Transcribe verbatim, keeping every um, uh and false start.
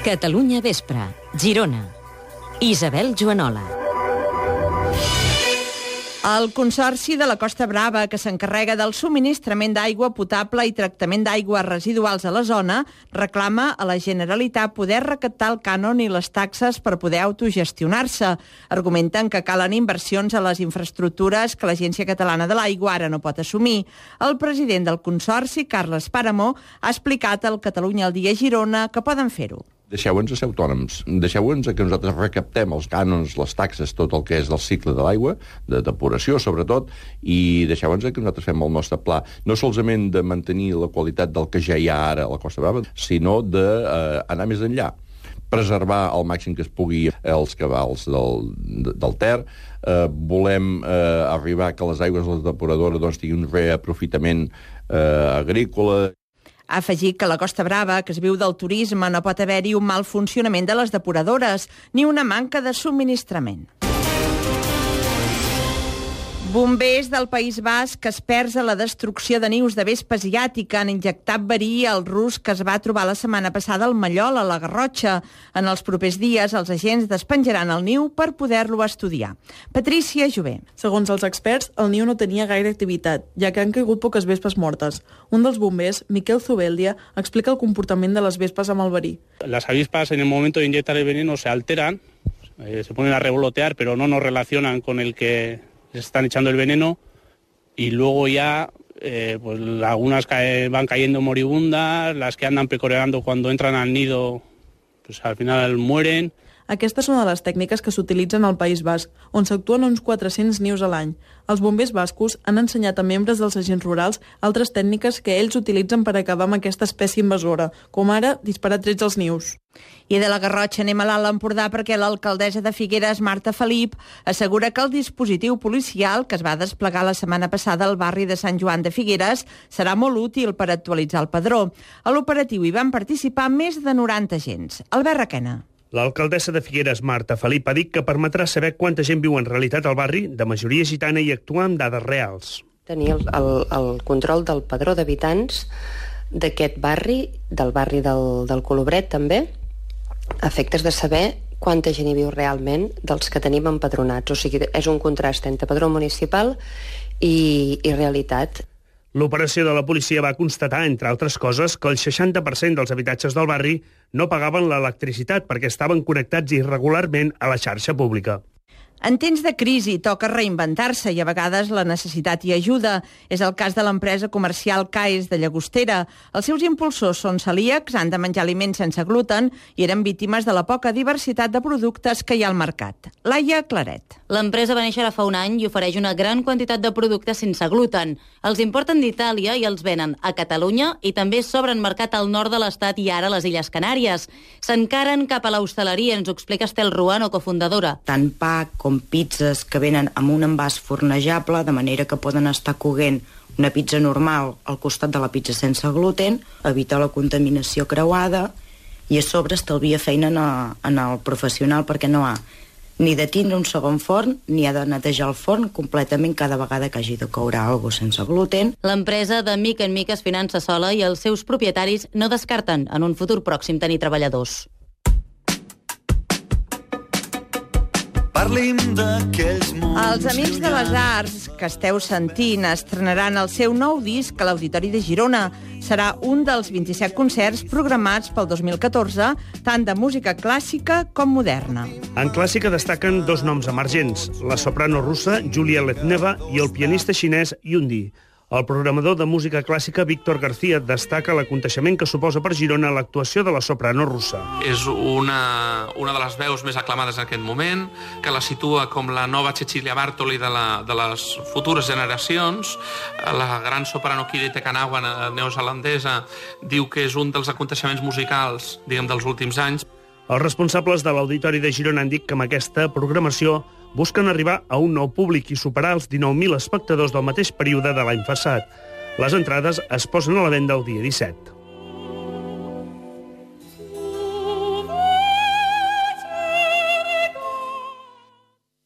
Catalunya Vespre, Girona. Isabel Joanola. El Consorci de la Costa Brava, que s'encarrega del subministrament d'aigua potable i tractament d'aigües residuals a la zona, reclama a la Generalitat poder recaptar el cànon i les taxes per poder autogestionar-se. Argumenten que calen inversions a les infraestructures que l'Agència Catalana de l'Aigua ara no pot assumir. El president del Consorci, Carles Paramó, ha explicat al Catalunya al dia Girona que poden fer-ho. Deixeu-nos a ser autònoms, deixeu-nos que nosaltres recaptem els cànons, les taxes, tot el que és del cicle de l'aigua, de depuració sobretot, i deixeu-nos que nosaltres fem el nostre pla, no solament de mantenir la qualitat del que ja hi ha ara a la Costa Brava, sinó d'anar eh, més enllà, preservar al màxim que es pugui els cabals del, del Ter, eh, volem eh, arribar que les aigües de la depuradora doncs, tinguin un reaprofitament eh, agrícola. Ha afegit que a la Costa Brava, que es viu del turisme, no pot haver-hi un mal funcionament de les depuradores ni una manca de subministrament. Bombers del País Basc experts a la destrucció de nius de vespa asiàtica han injectat verí al rus que es va trobar la setmana passada al Mallol, a la Garrotxa. En els propers dies, els agents despenjaran el niu per poder-lo estudiar. Patrícia Jové. Segons els experts, el niu no tenia gaire activitat, ja que han caigut poques vespes mortes. Un dels bombers, Miquel Zubeldia, explica el comportament de les vespes amb el verí. Las avispas, en el momento de inyectar el veneno, se alteran, eh, se ponen a revolotear, pero no nos relacionan con el que les están echando el veneno, y luego ya eh, pues algunas cae, van cayendo moribundas, las que andan pecoreando cuando entran al nido, pues al final mueren. Aquesta és una de les tècniques que s'utilitzen al País Basc, on s'actuen uns quatre-cents nius a l'any. Els bombers bascos han ensenyat a membres dels agents rurals altres tècniques que ells utilitzen per acabar amb aquesta espècie invasora, com ara disparar trets als nius. I de la Garrotxa anem a l'Alt Empordà perquè l'alcaldessa de Figueres, Marta Felip, assegura que el dispositiu policial que es va desplegar la setmana passada al barri de Sant Joan de Figueres serà molt útil per actualitzar el padró. A l'operatiu hi van participar més de noranta agents. Albert Requena. L'alcaldessa de Figueres, Marta Felip, ha dit que permetrà saber quanta gent viu en realitat al barri, de majoria gitana, i actuar amb dades reals. Tenir el, el, el control del padró d'habitants d'aquest barri, del barri del, del Colobret també, a efectes de saber quanta gent hi viu realment dels que tenim empadronats. O sigui, és un contrast entre padró municipal i, i realitat. L'operació de la policia va constatar, entre altres coses, que el seixanta per cent dels habitatges del barri no pagaven l'electricitat perquè estaven connectats irregularment a la xarxa pública. En temps de crisi toca reinventar-se i a vegades la necessitat hi ajuda. És el cas de l'empresa comercial Caes de Llagostera. Els seus impulsors són celíacs, han de menjar aliments sense gluten i eren víctimes de la poca diversitat de productes que hi ha al mercat. Laia Claret. L'empresa va néixer ara fa un any i ofereix una gran quantitat de productes sense gluten. Els importen d'Itàlia i els venen a Catalunya i també s'obren mercat al nord de l'estat i ara a les Illes Canàries. S'encaren cap a l'hostaleria, ens ho explica Estel Ruano, cofundadora. Tant pa com pizzas que venen amb un envàs fornejable, de manera que poden estar coguent una pizza normal al costat de la pizza sense gluten, evita la contaminació creuada i a sobre estalvia feina en, a, en el professional perquè no ha ni de tindre un segon forn ni ha de netejar el forn completament cada vegada que hagi de coure alguna cosa sense gluten. L'empresa de mica en mica es finança sola i els seus propietaris no descarten en un futur pròxim tenir treballadors. Els Amics de les Arts que esteu sentint estrenaran el seu nou disc a l'Auditori de Girona. Serà un dels vint-i-set concerts programats pel dos mil catorze, tant de música clàssica com moderna. En clàssica destaquen dos noms emergents, la soprano russa Julia Letneva i el pianista xinès Yundi. El programador de música clàssica Víctor García destaca l'aconteixement que suposa per Girona l'actuació de la soprano russa. És una, una de les veus més aclamades en aquest moment, que la situa com la nova Cecilia Bartoli de, la, de les futures generacions. La gran soprano Kirite Kanawa, neozelandesa, diu que és un dels aconteixements musicals, diguem, dels últims anys. Els responsables de l'Auditori de Girona han dit que amb aquesta programació busquen arribar a un nou públic i superar els dinou mil espectadors del mateix període de l'any passat. Les entrades es posen a la venda el dia disset.